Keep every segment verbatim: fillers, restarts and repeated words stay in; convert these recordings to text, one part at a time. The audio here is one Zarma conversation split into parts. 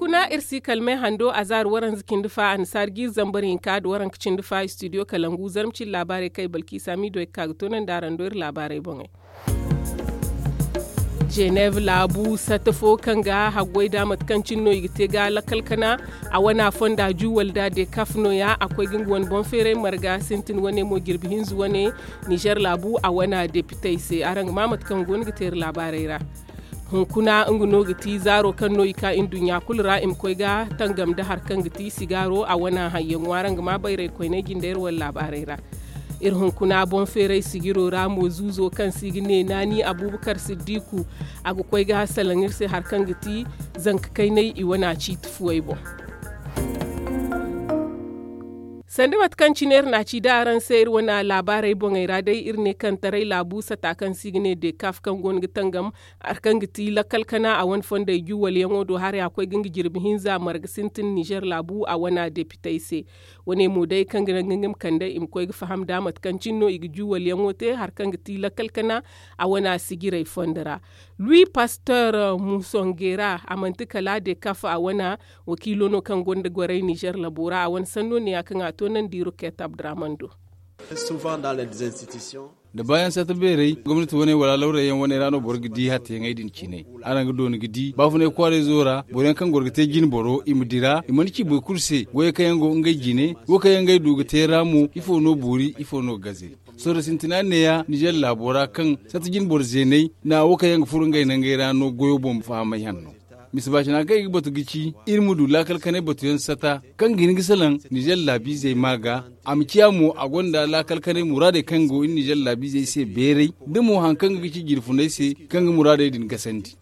Kuna iri si kalmey hando a zaari waranza cindi fa annasaari jiiri zambar hinka nda waranka cindi fa istidiyo kalangu zarma cindi laabaarey kaŋ ay balkiisa miido ay ga ka ga toonandi araŋ do iri laabaarey boŋey. Jeneeb laabu sata fo kaŋ ga haggoy nd'a mate kaŋ cine no i ga te ga lakkal kana a wana fonda juwal nd'a dekaf nooya a koy ga nga wane boŋ feeray marga sintin wane mo jirbi hinza wane. Nizer laabu a wana depitey se araŋ ga ma mate kaŋ go no ga te iri laabaarey ra. Hunkuna nga no ga ti zaaro kaŋ no i ka nduɲɲa kulu ra i ma koy ga tangam nda hari kaŋ ga ti sigaaro a wana hayyaŋo araŋ ga ma bayray koyney jinde iri wane laabaarey ra. Iri hunkuna boŋ feeray sijiro ra mo zuuzo kaŋ se i ga ne naani abuubakar siddiku a ga koy ga salaŋ iri se hari kaŋ ga ti zanka kaynay i wana ciiti fuwey boŋ. Sanda mate kaŋ cine iri na a ci da araŋ se iri wane laabaarey boŋey ra day iri ne kaŋ taray laabu sata kaŋ se i ga ne dekaf kaŋ go no ga tangam hari kaŋ ga ti lakkal kana a wane fondey juwalyaŋo do haray a koy ga nga jirbi hinza marga sintin nizer laabu a wana depitey se. Wane mo day kaŋ ga naŋ ga nga ma kande i ma koy ga faham nd'a mate kaŋ cine no i ga juwalyaŋo te hari kaŋ ga ti lakkal kana a wana sijirey fondo ra. Lui pasteur musongera a manti kala dekaf a wana wakiilo no kaŋ gonda goray nizer labo ra a wane sanno ne ya kaŋ a toonandi roket abdurahman do. Da baayaŋ sata beeray gomnati wane wala lawrayyaŋ wane ra no boro ga di hattayaŋey din ciinay. Araŋ ga dooni ga di baafunay kwaarayzo ra boro yaŋ kaŋ goro ga te jinboro i ma dira i mana ci boro kulu se goyey kaŋ yaŋ go ngey jine wo kaŋ yaŋ ngey du ga te ra mo ifo no boori ifo no gaze. Sorro sintina neeya nizer laabo ra kaŋ sata jinboro zeeney na wo kaŋ yaŋ ga furo ngey nangey ra no goyo boŋ fahamay hanno. Mise baacina kaŋ i ga batu ga ci iri ma du laakal kanay batuyaŋ sata kaŋ ga hin ga salaŋ nizer laabiizey ma ga a ma ciya mo a gonda laakal kanay muraadey kaŋ go iri nizer laabiizey se beeray da mo hari kaŋ ga ga ci jirfuney se kaŋ ga muraadey din gasandi.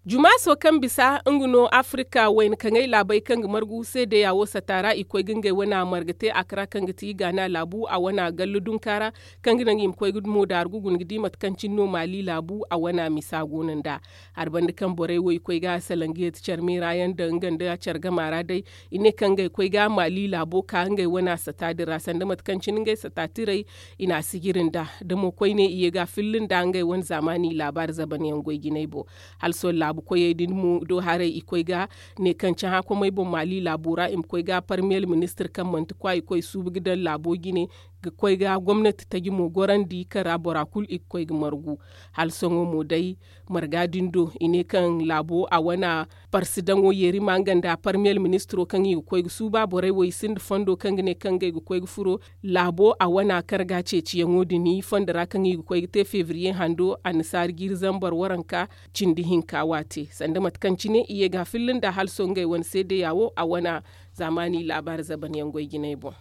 Jumaaso kaŋ bisa nga no afirka wayna kaŋay laabey kaŋ ga margu seedeya wo sata ra i koy ga ngey wane marga te a kara kaŋ ga ti gaana laabu a wane galla dunka ra kaŋ ga naŋ i ma koy ga mo daaru ga guna ga di mate kaŋ cine no maali laabu a wane misa go no nd'a. Hari banda kaŋ borey wo i koy ga salaŋ ga yeeti care meera yaŋ daŋ nga nda care gama ra day i ne kaŋ ngey koy ga maali laabo ka ngey wane sata din ra sanda mate kaŋ cine ngey sata tirey i na a sijiri nd'a da mo koyne i ye ga a filli nd'a ngey wane zaamaani laabaari zaban yaŋ goy jinay boŋ. Hala sohõ laabu koyey din mo do haray i koy ga ne kaŋ cahã komey boŋ maali laabo ra i ma koy ga parmiyel ministir kaŋ manti kwa i koy suubu ga daŋ laabo jine ga koy ga gomnati taji mo gorandi kaŋ ra bora kulu i ga koy ga margu. Hala sohõ mo day marga din do i ne kaŋ laabo a wane parsidaŋo yeerima nga nda parmiyel ministiro kaŋ i ga koy ga suuba borey wo i sinda fondo kaŋ ga ne kaŋ ngey ga koy ga furo laabo a wana karga ceeciyaŋo din fondo ra kaŋ i ga koy ga te febriye hando annasaari jiiri zambar waranka cindi hinka waate sanda mate kaŋ cine i ye ga a filli nda hala sohõ ngey wane seedeya wo a wana zaamaani laabaari zaban yaŋ goy jinay boŋ.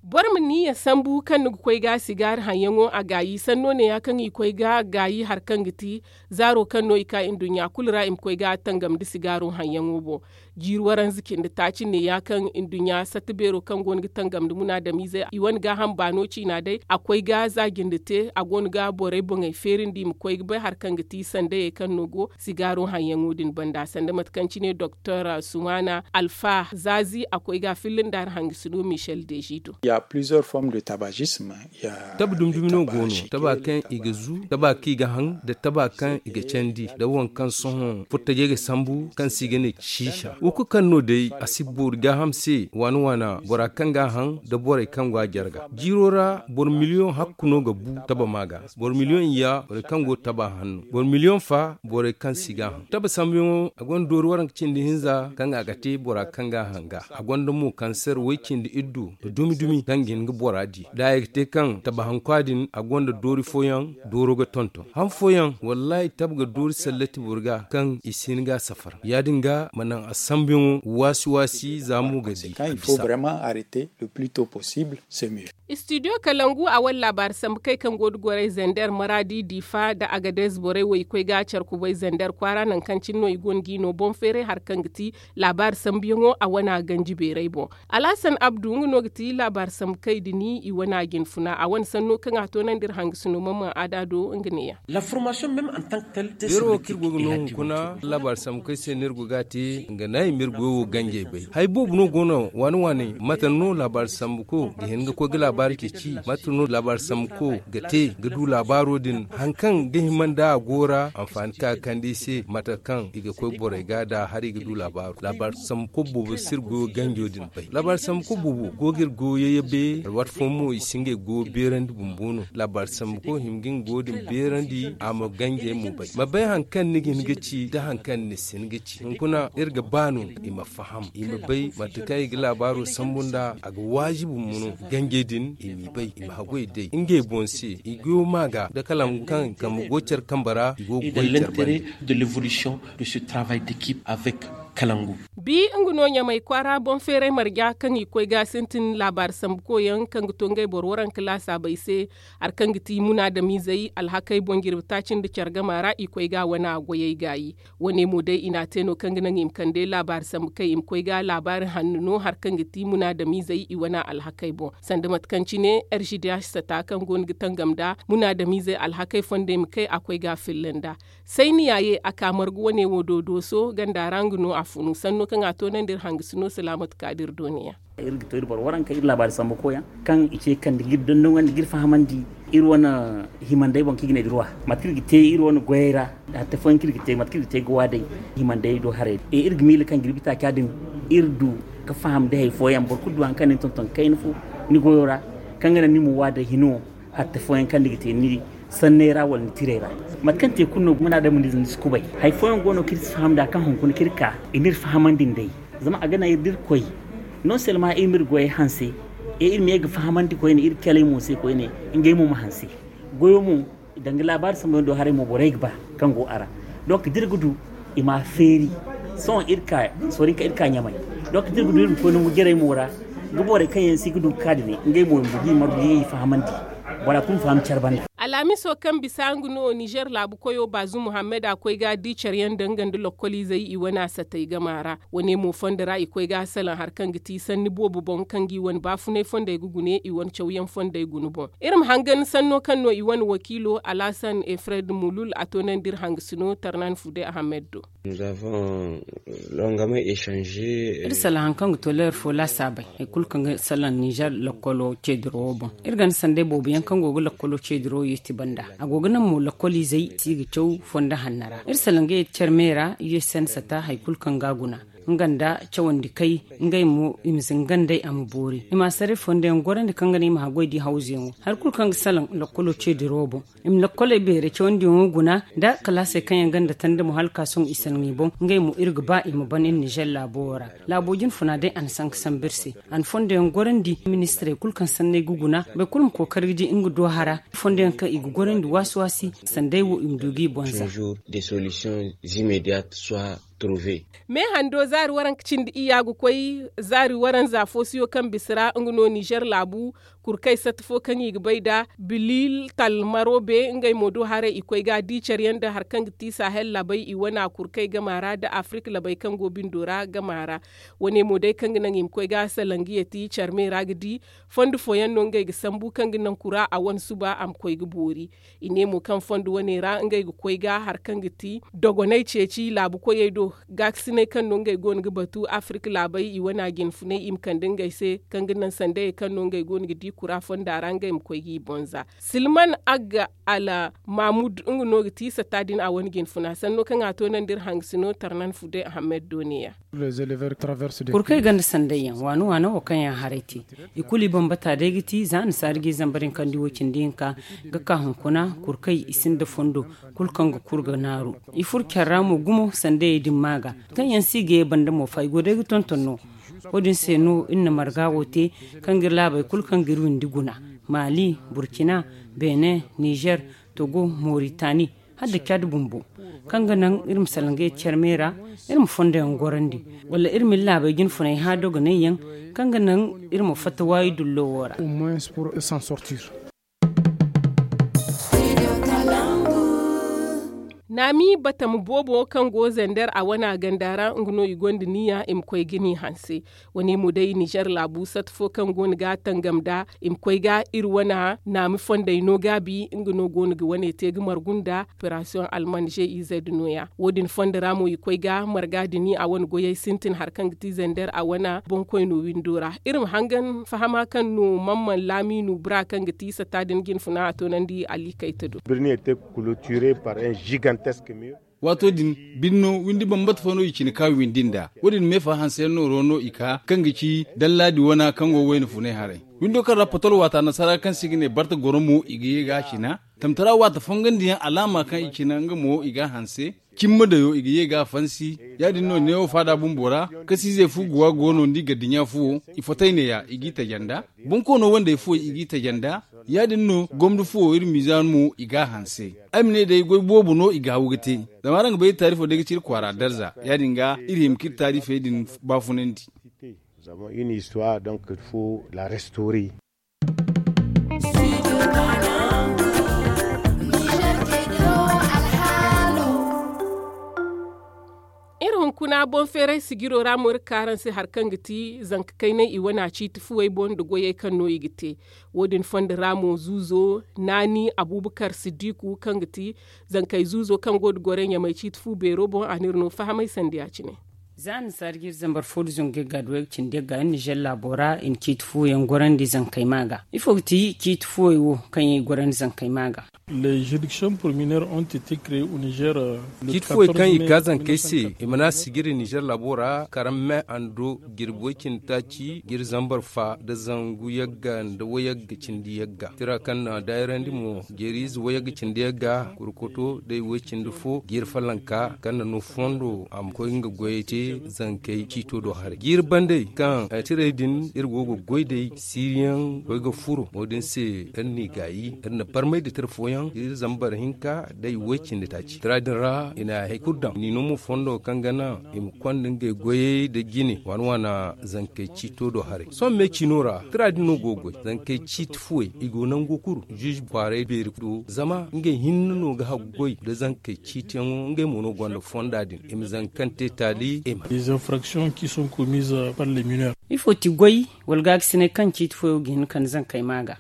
Boro ma niyya sambu kaŋ ni ga koy ga sigaari haŋyaŋo a gaayi sanno neeya kaŋ i koy ga gaayi hari kaŋ ga ti zaaro kaŋ no i ka nduɲɲa kulu ra i ma koy ga tangam nda sigaaro haŋyaŋo boŋ. Jiiri waranza cindi taaci neeya kaŋ nduɲɲa satta beero kaŋ go no ga tangam nda munaadamiize i wane gaaham baano ciina day a koy ga za jinde te a go no ga borey boŋey feerindi i ma koy ga bay hari kaŋ ga ti sandayey kaŋ no go sigaaro haŋyaŋo din banda sanda mate kaŋ cine doktor sumana alfa zaazi a koy ga a filli nda hari hangasino michel dezido. Tabi dumi dumi no go no taba kaŋ i ga zu taba kaŋ i ga haŋ nda taba kaŋ i ga candi nda waŋ kaŋ sohõ furtajey ga sambu kaŋ se i ga ne siisa wo kulu kaŋ no day a si boori gaaham se waana waana bora kaŋ ga a haŋ nda borey kaŋ go a jarga jiiro ra boro miliyoŋ hakku no ga bu taba ma ga. Boro miliyoŋ ya borey kaŋ go taba hanno boro miliyoŋ fa borey kaŋ si ga a haŋ taba sambuyaŋo a gonda doori waranka cindi hinza kaŋ a ga te bora kaŋ ga a haŋ ga a gonda mo kaŋ se ra way cindi iddu nda dumi dumi kaŋ ga hin ga bora di da a ye ga te kaŋ taba hankwa din a gonda doori fooyaŋ dooro ga tonton han fooyaŋ wallahi taba ga doori sallati boro ga kaŋ i si hin ga a safar ya- din ga ma naŋ a sambuyaŋo waasi waasi za mo ga di a bisa. Istidiyo kalangu a wane laabaari sambu kay kaŋ go da goray zander maraadi diifa nda agadez borey wo i koy ga care kubay zander kwaara nangu kaŋ cine no i go no g'i no boŋ feeray hari kaŋ ga ti laabaari sambuyaŋo a wane a ganji beeray boŋ. Alhasan abdu nga no ga ti laabaari sambu kay din i wane a jinfuna a wane sanno kaŋ a toonandi iri hangasino mamman aada do nga neeya. Beero wo kaŋ iri go ga no hunkuna laabaari sambu kay se no iri go ga a te nga naŋ. Mirgo wo ganjey bay hari boobo no go no waani waani mate no laabaari sambuko ga hin ga koy ga laabaari ceeci mate no laabaari sambuko ga te ga du laabaaro din hari kaŋ ga hima nda a go ra anfaani kaŋ a ga kande i se mate kaŋ i ga koy borey ga da hari ga du laabaaro laabaari sambuko boobo si iri goyo ganjo din bay laabaari sambuko boobo go ga iri goyo yayyabe alwaati fooyaŋ mo i si ngey goyo beerandi bumbo no laabaari sambuko hima ga nga goyo din beerandi a ma ganjey mo bay ma bay hari kaŋ ni ga hin ga ci nda hari kaŋ ni si hin ga ci hunkuna iri ga ba no i ma faham i ma bay mate kaŋ i ga laabaaro sambu nda a ga waajibi mo no ganjey din i m'i bay i ma haggoy day ngey boŋ se i goyo ma ga nda kalangu kaŋ kambe go care kambe ra i go ga goy care bande. De l'évolution de ce travail d'équipe avec kalangu. Bi nga no ɲamay kwaara boŋ feeray marja kaŋ i koy ga sintin laabaari sambukoyaŋ kaŋ ga to ngey boro waranka laasaabey se hari kaŋ ga ti munaadamizey alhakey boŋ jirbi taaci nda care gama ra i koy ga wane a goyey gaayi. Wane mo day i n'a te no kaŋ ga naŋ i ma kande laabaari sambu kaŋ i ma koy ga laabaari hanno no hari kaŋ ga ti munaadamizey i wane alhakey boŋ sanda mate kaŋ cine r g d h sata kaŋ go no ga tangam nda munaadamizey alhakey fondey ma kay a koy ga a filla nda. Sayni yaaye a ka margu wane wo do dooso ganda ra nga no a funu sanno kaŋ a toonandi iri hangasino salaamatu kaadir dooniya. Iri ga to iri boro waranka iri laabaari sambu koyaŋ kaŋ i ce kande ga iri dondonandi ga iri fahamandi iri wane himandey boŋ kaŋ i ga ne ga ruwa mate kaŋ iri ga te iri wane goyey ra. Hatta fooyaŋ kaŋ iri ga te mate kaŋ iri ga te ga waa day himandey do haray day iri ga miila kaŋ ga iri bi taaca din iri du ga faham da hari fooyaŋ boro kulu du hari kaŋ ni tonton kayna fo ni goyo ra kaŋ ga naŋ ni ma waa day hino hatta fooyaŋ kaŋ ni ga te ni sanney ra wala ni tirey ra. Mate kaŋ te kulu no munaadamize ni si kubay hari fooyaŋ go no kaŋ iri si faham nd'a kaŋ hunkuna kaŋ iri ka i ma iri fahamandi nd'ey. Zama a ga naŋ iri da iri koy non selma iri ma iri goyey hanse e iri ma ye ga fahamandi koyne iri caley mo se koyne ngey mo ma hanse. Goyo mo danga laabaari sambuyaŋ do haray mo borey ga ba kaŋ go a ra. Donk da iri ga du i ma a feeri sohõ iri ka sorinka iri ka ɲamay. Donk da iri ga du iri ma koy nangu jarey mo ra ga borey kaŋ yaŋ si ga du ga ka din ngey mo i ma du ga i fahamandi bora kulu ma faham care banda. Alhamiso kaŋ bisa nga no nizer laabu koyo baazu muhammad a koy ga di care yaŋ danga nda lokkoliizey i wane a satay gama ra. Wane mo fondo ra i koy ga a salaŋ hari kaŋ ga ti sanni boobo boŋ kaŋ ga i wane baafunay fondey ga gune i wane cawyaŋ fondey guna boŋ. Iri ma hangan sanno kaŋ no i wane wakiilo alhasan efred mulul a toonandi iri hangasino tarnan fude ahamed do. Iri salaŋ hari kaŋ ga to leer fo laasaabey hari kulu kaŋ ga salaŋ nizer lakkolo ceediro wo boŋ. Iri ganda sanday boobo yaŋ kaŋ go ga lakkolo ceediro yeeti banda a go ga naŋ mo lakkoliizey si ga caw fondo hanno ra iri salaŋ ga yeeti care me ra u s n sata hari kulu kaŋ ga a guna. Nga nda cawandi kay ngey mo i ma zinga nd'ey a ma boori i ma a saray fondo yaŋ gorandi kaŋ ga naŋ i ma haggoy di hawzuyaŋo hari kulu kaŋ ga salaŋ lakkolo ceediro boŋ. I ma lakkoley beeray cawandiyaŋo guna nda kalaasey kaŋ yaŋ gonda tanda mo hala ka sohõ i salaŋ i boŋ ngey mo iri ga ba i ma ban iri nizer laabo wo ra. Laabo jinfuna day a na sanka sambu iri se a na fondo yaŋ gorandi ministirey kulu kaŋ sanney ga guna boro kulu ma kookari ga di nga do hara fondo yaŋ kaŋ i ga gorandi waasi waasi sandey wo i ma du ga i boŋ za. Meehando zaari waranka cindi iyya ga koy zaari waranza foosiyo kaŋ bisa ra nga no nizer laabu. Kurkey satta fo kaŋ i ga bay nd'a bilil talmaro be ngey mo do haray i koy ga di care yaŋ nda hari kaŋ ga ti sahel labey i wana kurkey gama ra nda afirika labey kaŋ go bindo ra gama ra. Wane mo day kaŋ ga naŋ i ma koy ga salangiya ti care me ra ga di fondo fooyaŋ no ngey ga sambu kaŋ ga naŋ kura a wane suba a ma koy ga boori. I ne mo kaŋ fondo wane ra ngey ga koy ga hari kaŋ ga ti dogoney ceeci laabu koyey do. Gaakasiney kaŋ no ngey go no ga batu afirika laabey i wana jinfunay i ma kande ngey se kaŋ ga naŋ sandayey kaŋ no ngey go no ga di kura fonda ra ngey ma koy ga i boŋ za. Silman agga ala mahmud nga no ga ti satta din a wane jinfuna sanno kaŋ a to naŋ da iri hangasino tarnan fude ahammed do ne ya. Kurkey ganda sanday yaŋ waano waano wo kaŋ yaŋ haray te i kulu i bambata day ga ti za annasaari ga i zambar hinkandi wo cindi hinka ga ka hunkuna kurkey i sinda fondo kulu kaŋ ga kuru ga naaru. I furo care ra mo gumo sandayey din ma ga kaŋ yaŋ si ga ye banda mo fa i go day ga tonton no. Wo- din se no iri na marga wo te kaŋ ga iri laabey kulu kaŋ ga iri windi guna, mali, burkina, benin, nizer, togo, moritani, hala da cad bumbo kaŋ ga naŋ iri ma salangay care me ra. Iri ma fondoyaŋ gorandi wala iri ma iri laabey jinfunay hã dogonay yaŋ kaŋ ga naŋ iri ma fatta waayi dullo wo ra. Naami batam boobo kaŋ go zander a wana ganda ra nga no i gonda niya i ma koy ga ni hanse. Wane mo day nizer laabu sat fo kaŋ go no ga tangam nd'a i ma koy ga iri wana naami fondey no gaabi nga no go no ga wane te ga margu nda operasiyoŋ alman g i z no- ya wo- din fondo ra mo i koy ga marga dini a wane goyey sintin hari kaŋ ga ti zander a wana boŋkoyno windo ra. Iri ma hangan fahama kaŋ no mamman laaminu bura kaŋ ga ti sata din jinfuna a toonandi alikayta do. Birni ete kulotire par un gigantesk mir. Waato din, birno windi bambata fo no i cine ka windi nd'a. Wo- din meefa hanseyaŋ nooro no i ka kaŋ ga ci dallaadi wana kaŋ go wayna funay haray. Windo kaŋ ra potol waata nasara kaŋ se i ga ne barta goro mo i ga ye ga a cina. Tamtara waata fongandiyaŋ alaama kaŋ i cina nga mo i ga a hanse. Cimma dayo i ga ye ga a fansi. Ya- din no neewo faada bumbo ra kasiizey fu guwa go no nda i ga dinya fuwo. I fotay neeya i g'i taja nd'a. Bonkoono wandey fuwey i g'i taja nd'a. Ya- din no gomdo fuwo iri miizaanu mo i ga a hanse. Ay ma ne day goy boobo no i ga haw ga te. Zama araŋ ga bay iri taarifo day ga ci iri kwaara darza. Ya- din ga iri hima ka iri taarifey din baafunandi. Zama iri na histoire donc il faut la restaurer. Iri hunkuna boŋ feeray sijiro ra mo iri ga ka araŋ se hari kaŋ ga ti zanka kaynay i wane a ciiti fuwey boŋ nda goyey kaŋ no i ga te. Wo- din fondo ra mo zuuzo naani abuubakar siddiku kaŋ ga ti zankey zuuzo kaŋ go nda gorey ɲamey ciiti fu beero boŋ a n'iri no fahamay sanda ya- cine. Za annasaara ga iri zambar fo nda zangu yagga nda wayga cindi yagga iri nizer laabo ra i na ciiti fuwo yaŋ gorandi zankey ma ga ifo ga ti ciiti fuwey wo kaŋ yaŋ i gorandi zankey ma ga. Ciiti fuwey kaŋ i ga zankey se i mana sijiri nizer laabo ra karaŋ me ando jirbi way cindi taaci ga iri zambar fa nda zangu yagga nda wayagga cindi yagga tira kaŋ na daayirandi mo jeeriize wayagga cindi yagga kurkoto day way cindi fo ga iri falanka kaŋ na no fondo a ma koy nga goyey te zankey ciito do haray ga iri bandey kaŋ tirey din iri go ga goy day siiriyaŋ koy ga furo wo-din se iri n'i gaayi iri na barmay da tira fooyaŋ iri zambar hinka day way cindi taaci tira din ra i na hari kulu daŋ ni no mo fondo kaŋ ga naŋ i ma konda ngey goyey nda jine waana waana zankey ciito do haray sohõ me ciino ra tira din no go ga goy zankey ciiti fuwey i go nango kulu ziize kwaaray beeri do zama ngey hinne no ga haggoy nda zankey ciitiyaŋo ngey mo no gonda fonda din i ma zanka kaŋ te taali i ma. Des infractions qui sont commises par les mineurs. Ifo ti goy wala gaagasinay kaŋ ciiti fuwey wo ga hin ga kande zankey ma ga.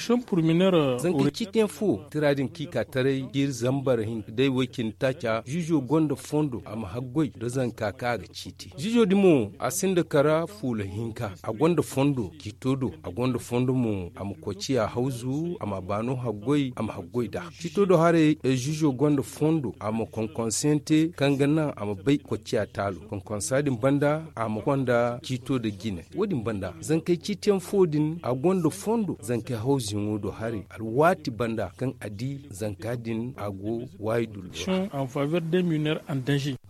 Zankey ciitiyaŋ fo tira din kaŋ i ka taray jiiri zambar hinka day way cindi taaca ziizo gonda fondo a ma haggoy nda zanka kaŋ a ga ciiti ziizo din mo a sinda kara fuula hinka a gonda fondo ciito do a gonda fondo mo a ma koy ciya hawzu a ma a baano haggoy a ma haggoy nd'a ciito do haray ziizo gonda fondo a ma konkonseyaŋ te kaŋ ga naŋ a ma bay koy ciya taalo konkonsa din banda a ma konda ciito nda jine wo- din banda zankey ciitiyaŋ fo din a gonda fondo zankey hawzuyaŋo do haray alwaati banda kaŋ a di zanka din a go waayi dullo ra.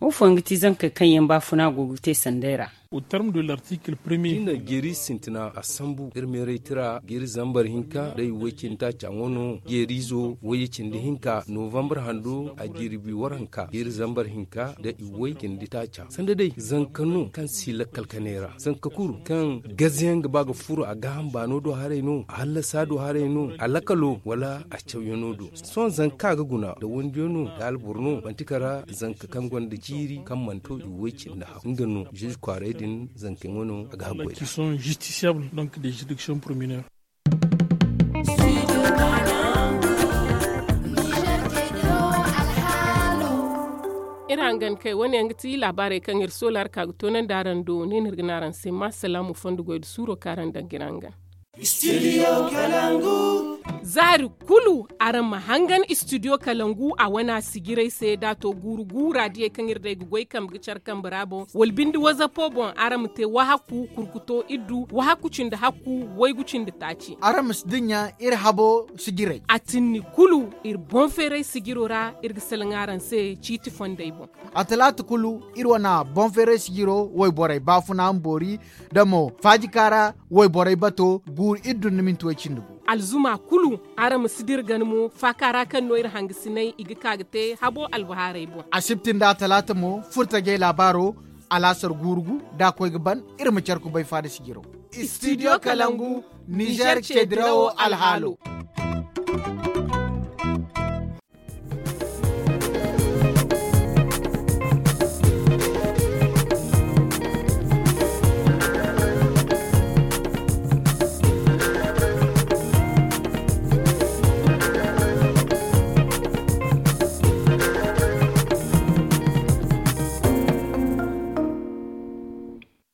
Wo fooyaŋ ga ti zankey kaŋ yaŋ baafuna go ga te sanday ra. Au terme de l'article premier. Jinda jeeri sintina a sambu iri meeray tira jeeri zambar hinka day way cindi taaca ŋwa no jeeriizo wayye cindi hinka novambar hando a jirbi waranka jeeri zambar hinka da iway cindi taaca sanda day zanka no kaŋ si lakkal kanay ra zanka kulu kaŋ gazayaŋ ga ba ga furo a gaaham baano do haray no a hallasa do haray no a lakalo wala a cawyaŋo do sohõ zanka ga guna da wandiyaŋo da alboro no manti kara zanka kaŋ gonda jiiri kaŋ mana to iway cindi haw nga no ziize kwaaray din zankey wane a ga haggoy ra. Iri hangan kay wane yaŋ ga ti laabaarey kaŋ iri soola hari ka ga toonandi araŋ do ne no iri ga ne araŋ se ma salaamu fondo goy nda suuro kaŋ araŋ daŋ ga iri hangan. Zaari kulu araŋ ma hangan istidiyo kalangu a wane a sijirey se da a to guuru guura diyey kaŋ iri day ga goy kambe ga care kambe ra boŋ wala binde wazapo boŋ araŋ ma te wahakku kurkuto iddu wahakku cindi hakku waygu cindi taaci araŋ ma si dinya iri habo sijirey a tinni kulu iri boŋ feeray sijiro ra iri ga salaŋ araŋ se ciiti fondey boŋ. A talaata kulu iri wane boŋ feeray sijiro wayborey baafuna ma boori da mo faajika ra wayborey bato guuru iddu nda minti way cindi gu alzuma kulu araŋ ma si dira gana mo faaka ra kaŋ no iri hangasinay i ga ka ga te habo albahaarey boŋ. Asibti nda a talaata mo furtajey laabaaro alaasar guuru gu da a koy ga ban iri ma care kubay faada sijiro. Istidiyo kalangu nizer ceedirawo alhaalo.